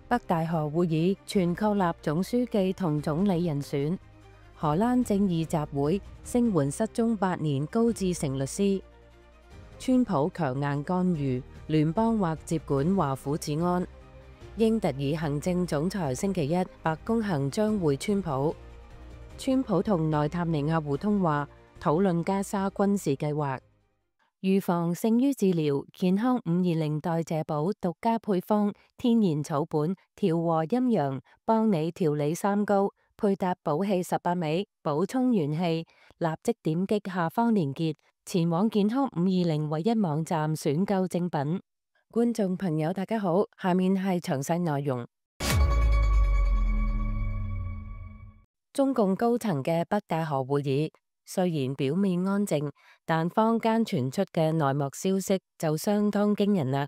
北大河會議全確立總書記同總理人選。荷蘭正義集會聲援失蹤8年高志成律師。川普強硬干預，聯邦或接管華府治安。英特爾行政總裁星期一白宮行將會川普。川普同內塔尼亞胡通話，討論加沙軍事計劃。預防勝於治療，健康520代謝寶獨家配方，天然草本，調和陰陽，幫你調理三高，配搭寶氣18味，補充元氣。立即點擊下方連結，前往健康520唯一網站選購正品。觀眾朋友大家好，下面係詳細內容。中共高層嘅北戴河會議雖然表面安靜，但坊間傳出嘅內幕消息就相當驚人啦。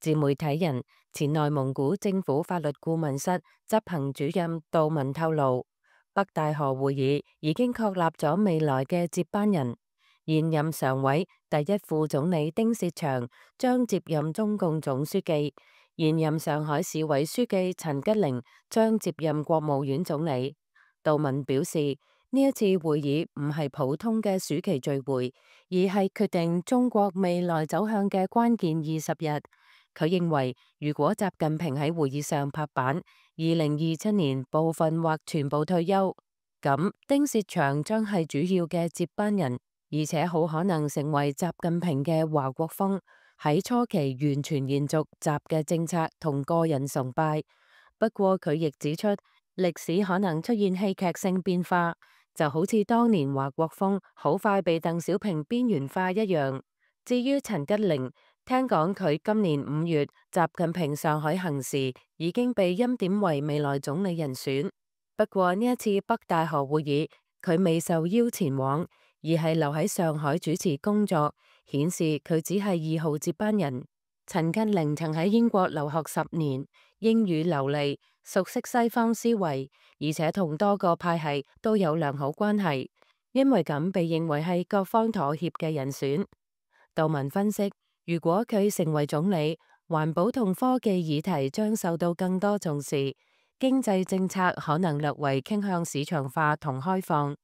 自媒體人、前內蒙古政府法律顧問室執行主任杜文透露，北戴河會議已經確立咗未來嘅接班人，現任常委第一副總理丁薛祥將接任中共總書記，現任上海市委書記陳吉寧將接任國務院總理。杜文表示，呢一次會議唔係普通嘅暑期聚會，而係決定中國未來走向嘅關鍵20日。佢認為，如果習近平喺會議上拍板，2027年部分或全部退休，咁丁薛祥將係主要嘅接班人，而且好可能成為習近平嘅華國鋒，喺初期完全延續習嘅政策同個人崇拜。不過佢亦指出，歷史可能出現戲劇性變化，就好似當年華國鋒好快被鄧小平邊緣化一樣。至於陳吉寧，聽講佢今年5月習近平上海行時已經被欽點為未來總理人選。不過呢一次北戴河會議，佢未受邀前往，而係留喺上海主持工作，顯示佢只係2號接班人。陳吉寧曾喺英國留學10年，英語流利，熟悉西方思維，而且同多個派系都有良好關係，因為咁被認為係各方妥協嘅人選。杜文分析，如果佢成為總理，環保同科技議題將受到更多重視，經濟政策可能略為傾向市場化同開放，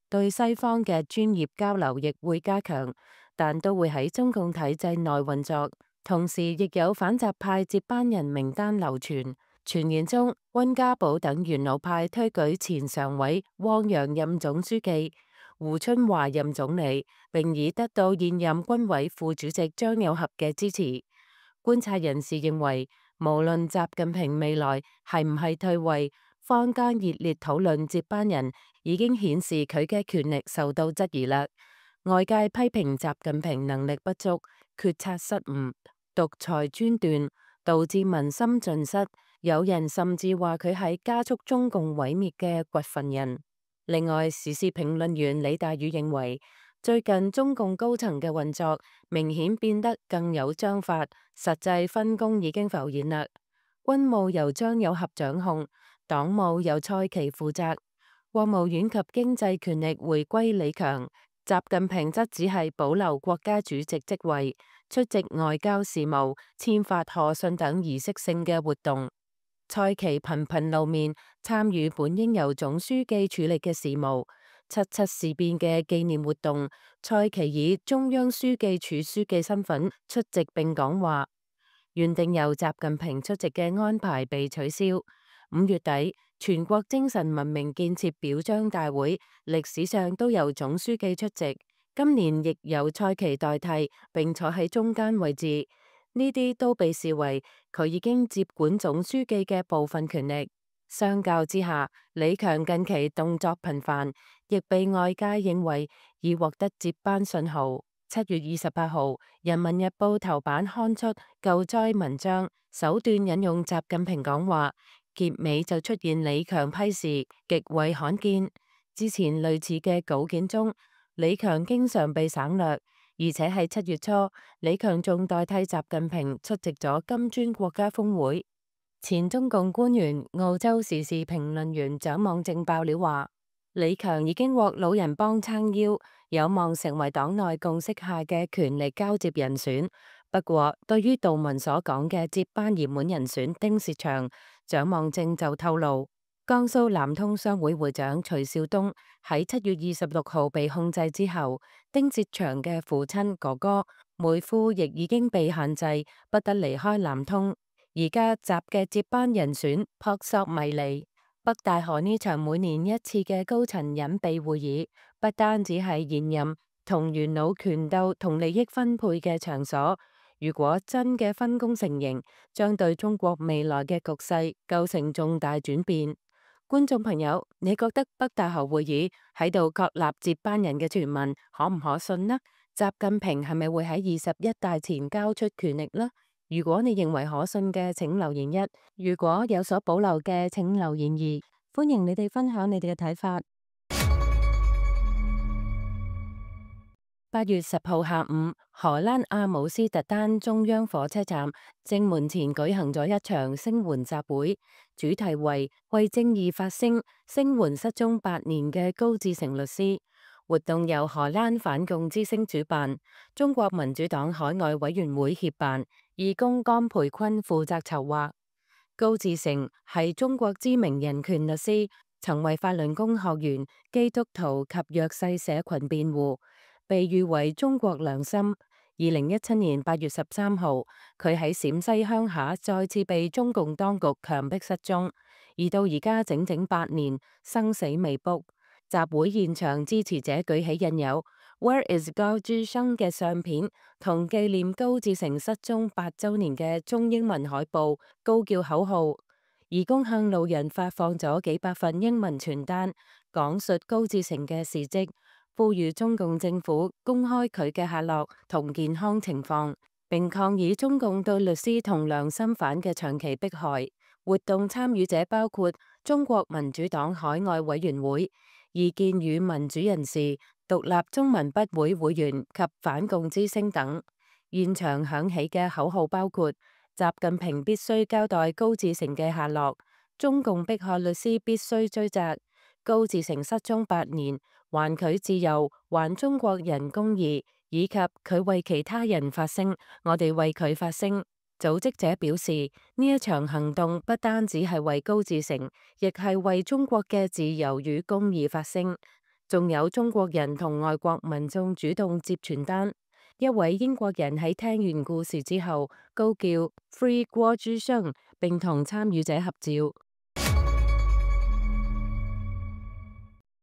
對西方嘅專業交流亦會加強，但都會喺中共體制內運作。同時亦有反習派接班人名單流傳，傳言中溫家寶等元老派推舉前常委汪洋任總書記，胡春華任總理，並已得到現任軍委副主席張友俠嘅支持。觀察人士認為，無論習近平未來係唔係退位，坊間熱烈討論接班人，已經顯示佢嘅權力受到質疑啦。外界批評習近平能力不足、決策失誤、獨裁專斷，導致民心盡失。有人甚至話佢係加速中共毀滅嘅掘墳人。另外，時事評論員李大宇認為，最近中共高層嘅運作明顯變得更有章法，實際分工已經浮現啦。軍務由張友俠掌控，黨務由蔡奇負責，國務院及經濟權力回歸李強，習近平則只係保留國家主席職位，出席外交事務、簽發賀信等儀式性嘅活動。蔡奇頻頻露面，參與本應由總書記處理嘅事務。7.7事變嘅紀念活動，蔡奇以中央書記處書記身份出席並講話。原定由習近平出席嘅安排被取消。5月底，全國精神文明建設表彰大會，歷史上都由總書記出席，今年亦由蔡奇代替，並坐喺中間位置。呢啲都被視為佢已經接管總書記嘅部分權力。相較之下，李強近期動作頻繁，亦被外界認為已獲得接班信號。7月28號，《人民日報》頭版刊出救災文章，首段引用習近平講話，結尾就出現李強批示，極為罕見。之前類似嘅稿件中，李強經常被省略。而且係7月初，李強仲代替習近平出席咗金磚國家峰會。前中共官員、澳洲時事評論員蔣望正爆料話，李強已經獲老人幫撐腰，有望成為黨內共識下嘅權力交接人選。不過，對於杜文所講嘅接班熱門人選丁薛祥，蔣望正就透露，江蘇南通商會會長徐少東喺7月26號被控制之後，丁薛祥嘅父親哥哥妹夫亦已經被限制，不得離開南通。而家習嘅接班人選撲朔迷離。北戴河呢場每年一次嘅高層隱秘會議，不單止係現任同元老權鬥同利益分配嘅場所。如果真嘅分工成型，將對中國未來嘅局勢構成重大轉變。觀眾朋友，你覺得北戴河會議喺度確立接班人嘅傳聞可唔可信呢？習近平係咪會喺21大前交出權力呢？如果你認為可信嘅，請留言一；如果有所保留嘅，請留言二。歡迎你哋分享你哋嘅睇法。8月10號下午，荷蘭阿姆斯特丹中央火車站正門前舉行咗一場聲援集會，主題為正義發聲，聲援失蹤8年嘅高志成律師。活動由荷蘭反共之聲主辦，中國民主黨海外委員會協辦，義工甘培坤負責籌劃。高志成係中國知名人權律師，曾為法輪功學員、基督徒及弱勢社群辯護，被譽為中國良心。2017年8月13號，佢喺陝西鄉下再次被中共當局強迫失蹤，而到而家整整8年，生死未卜。集會現場，支持者舉起印有 Where is 高志生嘅相片，同紀念高志成失蹤8週年嘅中英文海報，高叫口號。義工向路人發放咗幾百份英文傳單，講述高志成嘅事蹟，呼籲中共政府公開佢嘅下落同健康情況，並抗議中共對律師同良心犯嘅長期迫害。活動參與者包括中國民主黨海外委員會、異見與民主人士、獨立中文筆會會員及反共之聲等。現場響起嘅口號包括：習近平必須交代高志成嘅下落，中共迫害律師必須追責，高志成失蹤8年，還佢自由，還中國人公義，以及佢為其他人發聲，我哋為佢發聲。組織者表示，呢一場行動不單止係為高志成，亦係為中國嘅自由與公義發聲。仲有中國人同外國民眾主動接傳單。一位英國人喺聽完故事之後，高叫 Free 高志生，並同參與者合照。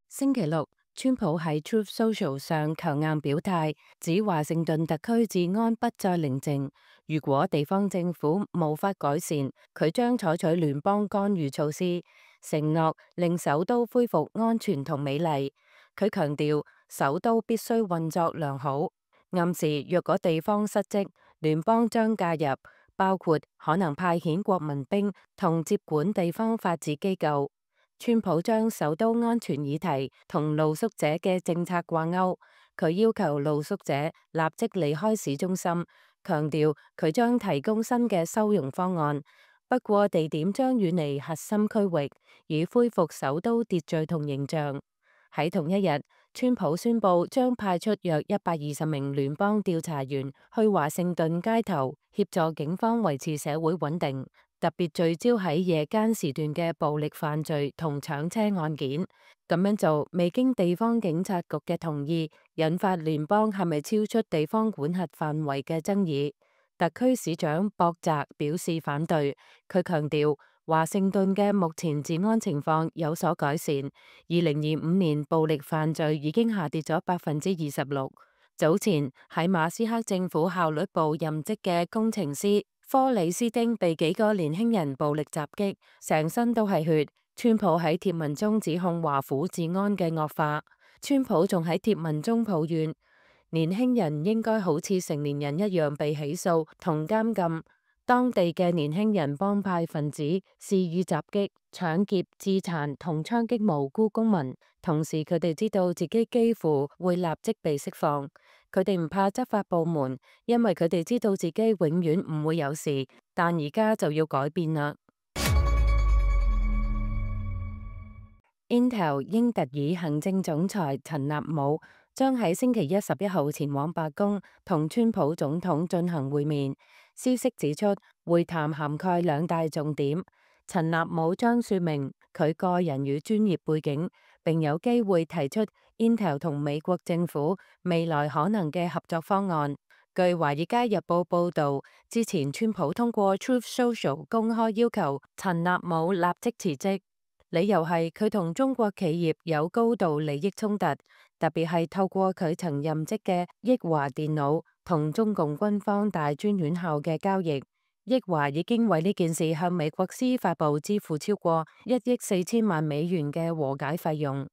星期六，川普喺 Truth Social 上強硬表態，指華盛頓特區治安不再寧靜。如果地方政府無法改善，佢將採取聯邦干預措施，承諾令首都恢復安全同美麗。佢強調，首都必須運作良好，暗示若果地方失職，聯邦將介入，包括可能派遣國民兵同接管地方法治機構。川普將首都安全議題同露宿者嘅政策掛鈎，佢要求露宿者立即離開市中心，強調佢將提供新嘅收容方案，不過地點將遠離核心區域，以恢復首都秩序同形象。喺同一日，川普宣布將派出約120名聯邦調查員去華盛頓街頭協助警方維持社會穩定，特別聚焦喺夜間時段嘅暴力犯罪同搶車案件。咁樣做未經地方警察局嘅同意，引發聯邦係咪超出地方管轄範圍嘅爭議。特區市長博澤表示反對，佢強調華盛頓嘅目前治安情況有所改善。2025年暴力犯罪已經下跌咗26%。早前喺馬斯克政府效率部任職嘅工程師科里斯丁被幾個年輕人暴力襲擊，成身都係血。川普喺貼文中指控華府治安嘅惡化。川普仲喺貼文中抱怨，年輕人應該好似成年人一樣被起訴同監禁。當地嘅年輕人幫派分子肆意襲擊、搶劫、致殘同槍擊無辜公民，同時佢哋知道自己幾乎會立即被釋放。佢哋唔怕執法部門，因為佢哋知道自己永遠唔會有事。但而家就要改變啦。Intel 英特爾行政總裁陳納姆將喺星期一11號前往白宮同川普總統進行會面。消息指出，會談涵蓋2大重點：陳納武將說明佢個人與專業背景，並有機會提出 Intel 同美國政府未來可能嘅合作方案。據《華爾街日報》報導，之前川普通過 Truth Social 公開要求陳納武立即辭職，理由係佢同中國企業有高度利益衝突，特別係透過佢曾任職嘅益華電腦同中共軍方大專院校嘅交易。益華已經為呢件事向美國司法部支付超過1億4千萬美元嘅和解費用。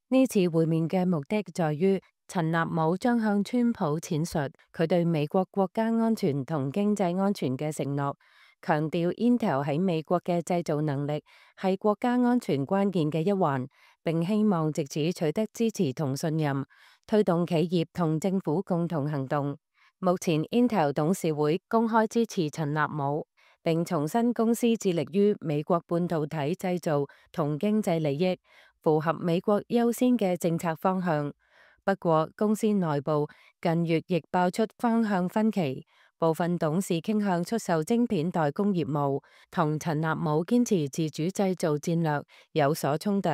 呢次會面嘅目的在於陳納武將向川普闡述佢對美國國家安全同經濟安全嘅承諾，強調 Intel 喺美國嘅製造能力係國家安全關鍵嘅一環，並希望藉此取得支持同信任，推動企業同政府共同行動。目前 Intel 董事會公開支持陳納武，並重申公司致力於美國半導體製造同經濟利益，符合美國優先嘅政策方向。不過，公司內部近月亦爆出方向分歧，部分董事傾向出售晶片代工業務，同陳納武堅持自主製造戰略有所衝突。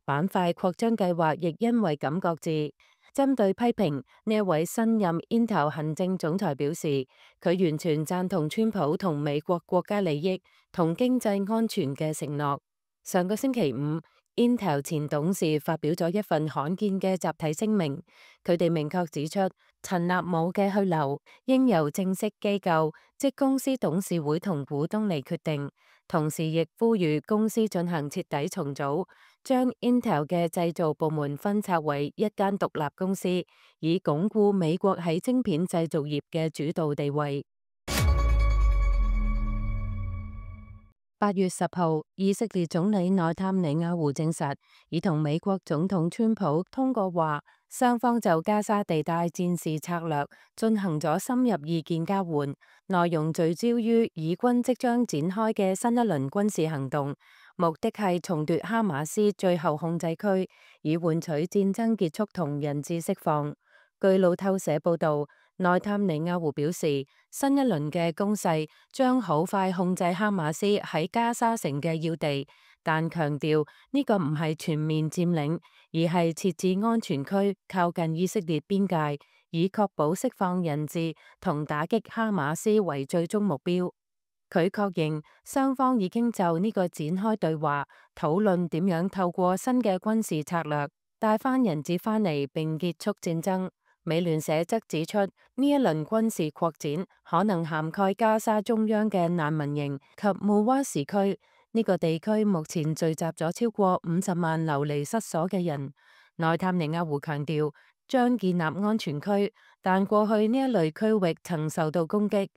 板塊擴張計劃亦因為咁擱置。針對批評，呢一位新任 Intel 行政總裁表示，佢完全贊同川普同美國國家利益同經濟安全嘅承諾。上個星期五，Intel 前董事發表咗一份罕見嘅集體聲明，佢哋明確指出，陳納武嘅去留應由正式機構，即公司董事會同股東嚟決定，同時亦呼籲公司進行徹底重組，將 Intel 嘅製造部門分拆為一間獨立公司，以鞏固美國喺晶片製造業嘅主導地位。8月10號，以色列總理內塔尼亞胡證實，已同美國總統川普通過話，雙方就加沙地帶戰事策略進行咗深入意見交換，內容聚焦於以軍即將展開嘅新一輪軍事行動，目的係重奪哈馬斯最後控制區，以換取戰爭結束同人質釋放。據路透社報導，內塔尼亞胡表示，新一輪嘅攻勢將好快控制哈馬斯喺加沙城嘅要地，但強調呢個唔係全面佔領，而係設置安全區靠近以色列邊界，以確保釋放人質同打擊哈馬斯為最終目標。佢確認雙方已經就呢個展開對話，討論點樣透過新嘅軍事策略帶翻人質翻嚟並結束戰爭。美聯社則指出，呢一輪軍事擴展可能涵蓋加沙中央嘅難民營及穆瓦什區。呢個地區目前聚集咗超過50萬流離失所嘅人。內塔尼亞胡強調將建立安全區，但過去呢一類區域曾受到攻擊。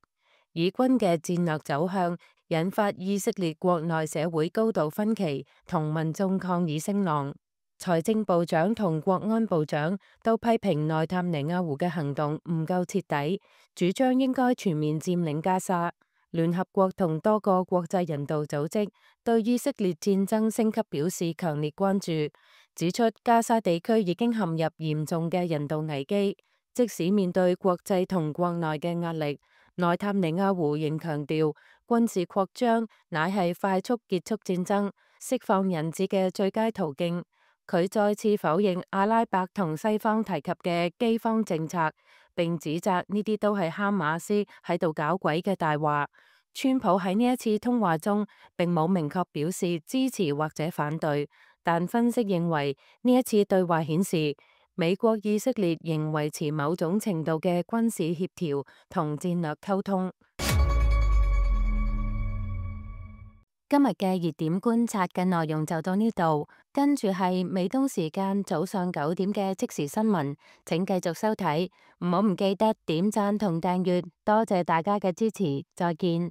以軍嘅戰略走向引發以色列國內社會高度分歧同民眾抗議聲浪。財政部長同國安部長都批評內塔尼亞胡嘅行動唔夠徹底，主張應該全面佔領加沙。聯合國同多個國際人道組織對以色列戰爭升級表示強烈關注，指出加沙地區已經陷入嚴重嘅人道危機。即使面對國際同國內嘅壓力，內塔尼亞胡仍強調軍事擴張乃係快速結束戰爭、釋放人質嘅最佳途徑。佢再次否認阿拉伯同西方提及嘅饑荒政策，並指責呢啲都係哈馬斯喺度搞鬼嘅大話。川普喺呢一次通話中並冇明確表示支持或者反對，但分析認為呢一次對話顯示美國以色列仍維持某種程度嘅軍事協調同戰略溝通。今日嘅熱點觀察嘅內容就到呢度，跟住係美東時間早上9點嘅即時新聞，請繼續收睇，唔好唔記得點讚同訂閱，多謝大家嘅支持，再見。